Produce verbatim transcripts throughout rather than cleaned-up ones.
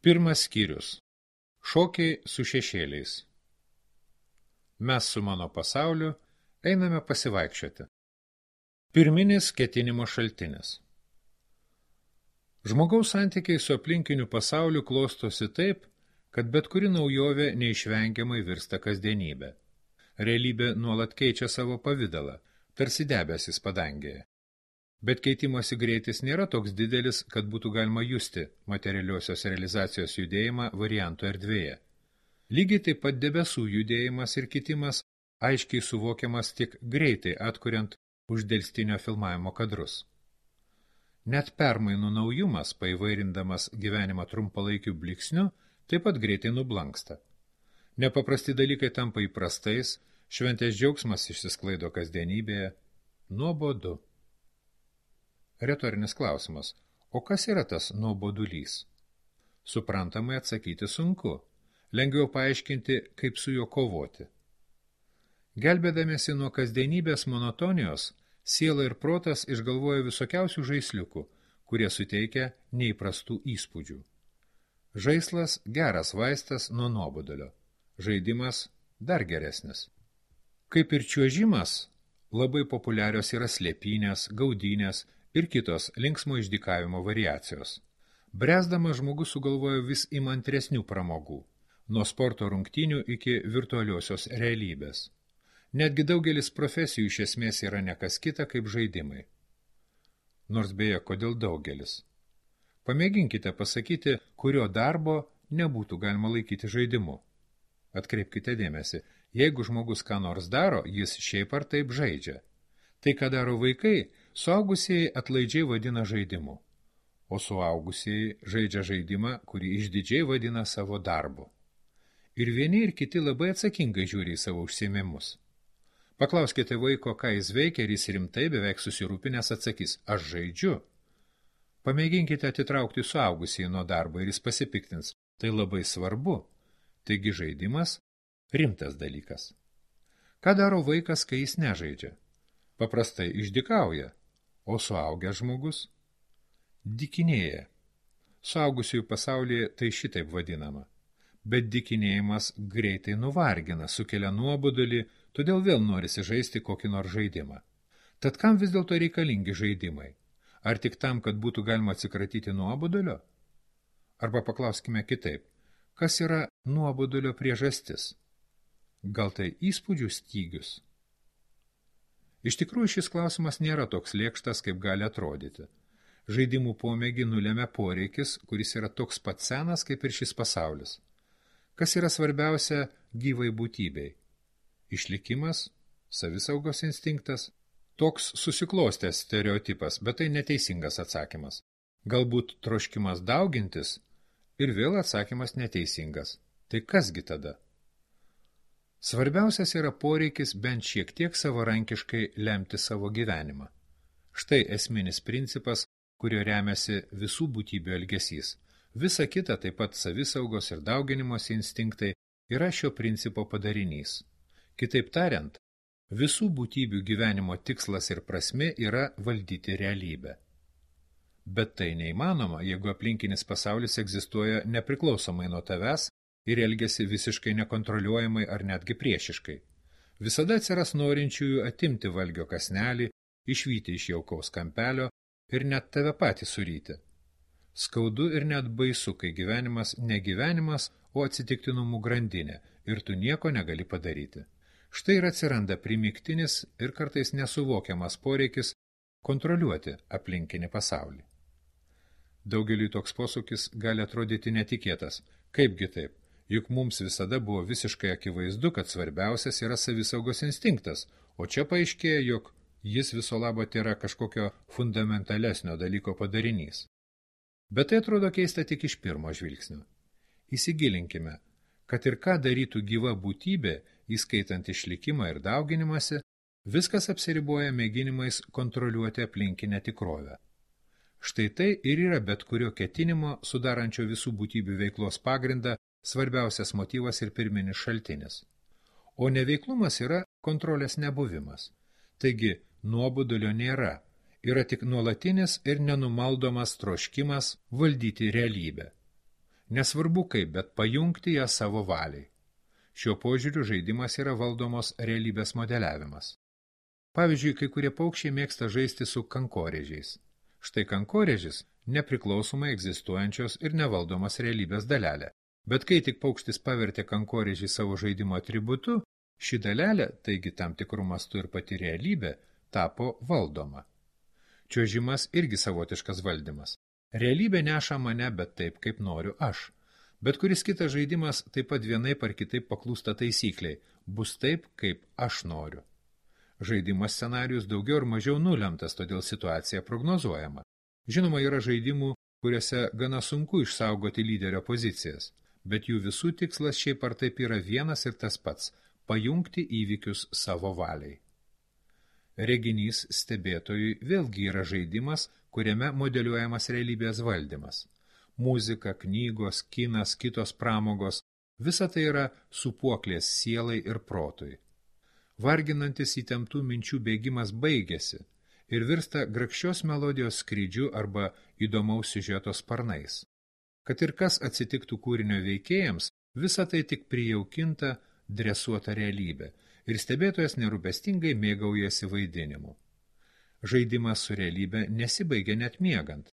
Pirmas skyrius. Šokiai su šešėliais. Mes su mano pasauliu einame pasivaikščioti. Pirminis ketinimo šaltinis. Žmogaus santykiai su aplinkiniu pasauliu klostosi taip, kad bet kuri naujovė neišvengiamai virsta kasdienybė. Realybė nuolat keičia savo pavidalą, tarsi debesis padangėje. Bet keitimosi greitis nėra toks didelis, kad būtų galima justi materialiosios realizacijos judėjimą variantų erdvėje. Lygiai taip pat debesų judėjimas ir kitimas aiškiai suvokiamas tik greitai atkuriant uždelstinio filmavimo kadrus. Net permainų naujumas, paįvairindamas gyvenimą trumpalaikiu bliksniu, taip pat greitai nublanksta. Nepaprasti dalykai tampa įprastais, šventės džiaugsmas išsisklaido kasdienybėje, nuobodu. Retorinis klausimas, o kas yra tas nuobodulys? Suprantamai atsakyti sunku, lengviau paaiškinti, kaip su juo kovoti. Gelbėdamiesi nuo kasdienybės monotonijos, siela ir protas išgalvoja visokiausių žaisliukų, kurie suteikia neįprastų įspūdžių. Žaislas geras vaistas nuo nuobodulio, žaidimas dar geresnis. Kaip ir čiuožimas, labai populiarios yra slėpynės, gaudynės ir kitos linksmo išdykavimo variacijos. Bręsdamas žmogus sugalvojo vis įmantresnių pramogų, nuo sporto rungtynių iki virtualiosios realybės. Netgi daugelis profesijų iš esmės yra nekas kita kaip žaidimai. Nors beje, kodėl daugelis? Pamėginkite pasakyti, kurio darbo nebūtų galima laikyti žaidimu. Atkreipkite dėmesį, jeigu žmogus ką nors daro, jis šiaip ar taip žaidžia. Tai, ką daro vaikai, suaugusieji atlaidžiai vadina žaidimu, o suaugusieji žaidžia žaidimą, kurį išdidžiai vadina savo darbu. Ir vieni ir kiti labai atsakingai žiūri į savo užsiėmimus. Paklauskite vaiko, ką jis veikia, ir jis rimtai beveik susirūpinęs atsakys, aš žaidžiu. Pamėginkite atitraukti suaugusieji nuo darbo ir jis pasipiktins, tai labai svarbu. Taigi žaidimas rimtas dalykas. Ką daro vaikas, kai jis nežaidžia? Paprastai išdykauja, o suaugęs žmogus dykinėja. Suaugusiųjų pasaulyje tai šitaip vadinama. Bet dykinėjimas greitai nuvargina, sukelia nuobodulį, todėl vėl norisi žaisti kokį nors žaidimą. Tad kam vis dėlto reikalingi žaidimai? Ar tik tam, kad būtų galima atsikratyti nuobodulio? Arba paklauskime kitaip, kas yra nuobodulio priežastis? Gal tai įspūdžių stygius? Iš tikrųjų šis klausimas nėra toks lėkštas, kaip gali atrodyti. Žaidimų pomėgį nulemia poreikis, kuris yra toks pat senas, kaip ir šis pasaulis. Kas yra svarbiausia gyvai būtybei? Išlikimas, savisaugos instinktas? Toks susiklostęs stereotipas, bet tai neteisingas atsakymas. Galbūt troškimas daugintis ir vėl atsakymas neteisingas. Tai kasgi tada? Svarbiausias yra poreikis bent šiek tiek savarankiškai lemti savo gyvenimą. Štai esminis principas, kurio remiasi visų būtybių elgesys. Visa kita, taip pat savisaugos ir dauginimosi instinktai, yra šio principo padarinys. Kitaip tariant, visų būtybių gyvenimo tikslas ir prasmė yra valdyti realybę. Bet tai neįmanoma, jeigu aplinkinis pasaulis egzistuoja nepriklausomai nuo tavęs ir elgiasi visiškai nekontroliuojamai ar netgi priešiškai. Visada atsiras norinčiųjų atimti valgio kąsnelį, išvyti iš jaukaus kampelio ir net tave patį suryti. Skaudu ir net baisu, kai gyvenimas ne gyvenimas, o atsitiktinumų grandinė ir tu nieko negali padaryti. Štai ir atsiranda primygtinis ir kartais nesuvokiamas poreikis kontroliuoti aplinkinį pasaulį. Daugeliui toks posūkis gali atrodyti netikėtas. Kaipgi taip? Juk mums visada buvo visiškai akivaizdu, kad svarbiausias yra savisaugos instinktas, o čia paaiškėja, jog jis viso labo tėra kažkokio fundamentalesnio dalyko padarinys. Bet tai atrodo keista tik iš pirmo žvilgsnio. Įsigilinkime, kad ir ką darytų gyva būtybė, įskaitant išlikimą ir dauginimąsi, viskas apsiriboja mėginimais kontroliuoti aplinkinę tikrovę. Štai tai ir yra bet kurio ketinimo, sudarančio visų būtybių veiklos pagrindą, svarbiausias motyvas ir pirminis šaltinis. O neveiklumas yra kontrolės nebuvimas. Taigi, nuobodulio nėra. Yra tik nuolatinis ir nenumaldomas troškimas valdyti realybę. Nesvarbu kaip, bet pajungti ją savo valiai. Šiuo požiūriu žaidimas yra valdomos realybės modeliavimas. Pavyzdžiui, kai kurie paukščiai mėgsta žaisti su kankorėžiais. Štai kankorėžis nepriklausomai egzistuojančios ir nevaldomas realybės dalelė. Bet kai tik paukštis pavertė kankorėžį savo žaidimo atributu, ši dalelė, taigi tam tikrų mastų ir pati realybė, tapo valdoma. Čiuožimas irgi savotiškas valdymas. Realybė neša mane, bet taip, kaip noriu aš. Bet kuris kitas žaidimas taip pat vienaip ar kitaip paklūsta taisykliai, bus taip, kaip aš noriu. Žaidimas scenarijus daugiau ar mažiau nulemtas, todėl situacija prognozuojama. Žinoma, yra žaidimų, kuriuose gana sunku išsaugoti lyderio pozicijas, bet jų visų tikslas šiaip ar taip yra vienas ir tas pats – pajungti įvykius savo valiai. Reginys stebėtojui vėlgi yra žaidimas, kuriame modeliuojamas realybės valdymas. Muzika, knygos, kinas, kitos pramogos – visa tai yra supuoklės sielai ir protui. Varginantis įtemptų minčių bėgimas baigėsi ir virsta grakščios melodijos skrydžiu arba įdomaus siužeto sparnais. Kad ir kas atsitiktų kūrinio veikėjams, visa tai tik prijaukinta, dresuota realybė ir stebėtojas nerūpestingai mėgaujasi vaidinimu. Žaidimas su realybė nesibaigia net miegant.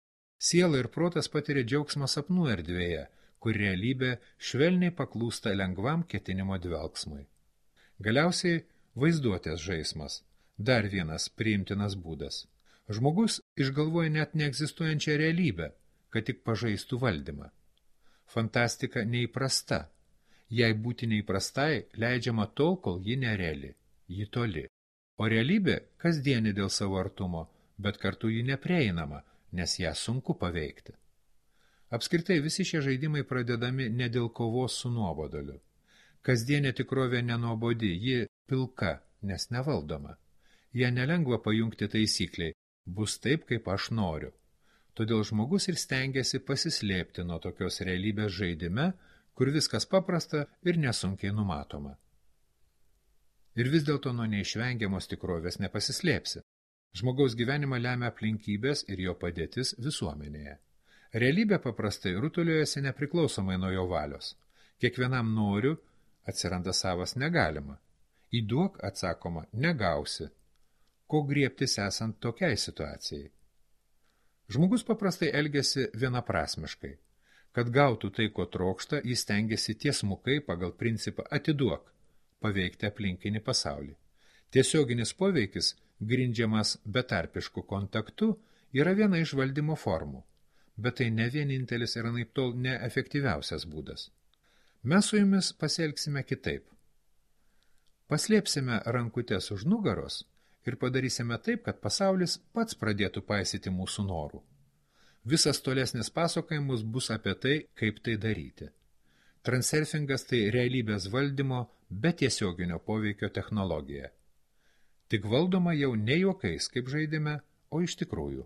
Siela ir protas patiria džiaugsmą sapnų erdvėje, kur realybė švelniai paklūsta lengvam ketinimo dvelksmui. Galiausiai vaizduotės žaismas – dar vienas priimtinas būdas. Žmogus išgalvoja net neegzistuojančią realybę, kad tik pažaistų valdymą. Fantastika neįprasta. Jei būti neįprastai, leidžiama tol, kol ji nereali, ji toli. O realybė kasdienė dėl savo artumo, bet kartu ji neprieinama, nes ją sunku paveikti. Apskritai visi šie žaidimai pradedami ne dėl kovos su nuobodoliu. Kasdienė tikrovė nenuobodi, ji pilka, nes nevaldoma. Ją nelengva pajungti taisykliai, bus taip, kaip aš noriu. Todėl žmogus ir stengiasi pasislėpti nuo tokios realybės žaidime, kur viskas paprasta ir nesunkiai numatoma. Ir vis dėlto nuo neišvengiamos tikrovės nepasislėpsi. Žmogaus gyvenimą lemia aplinkybės ir jo padėtis visuomenėje. Realybė paprastai rutuliojasi nepriklausomai nuo jo valios. Kiekvienam noriu atsiranda savas negalima. Įduok, atsakoma, negausi. Ko griebtis esant tokiai situacijai? Žmogus paprastai elgiasi vienaprasmiškai. Kad gautų tai, ko trokšta, jis stengiasi tiesmukai pagal principą atiduok, paveikti aplinkinį pasaulį. Tiesioginis poveikis, grindžiamas betarpišku kontaktu, yra viena iš valdymo formų, bet tai ne vienintelis ir anaiptol neefektyviausias būdas. Mes su jumis pasielgsime kitaip. Paslėpsime rankutes už nugaros ir padarysime taip, kad pasaulis pats pradėtų paisyti mūsų norų. Visas tolesnis pasakojimus bus apie tai, kaip tai daryti. Transurfingas tai realybės valdymo be tiesioginio poveikio technologija. Tik valdoma jau ne juokais, kaip žaidime, o iš tikrųjų.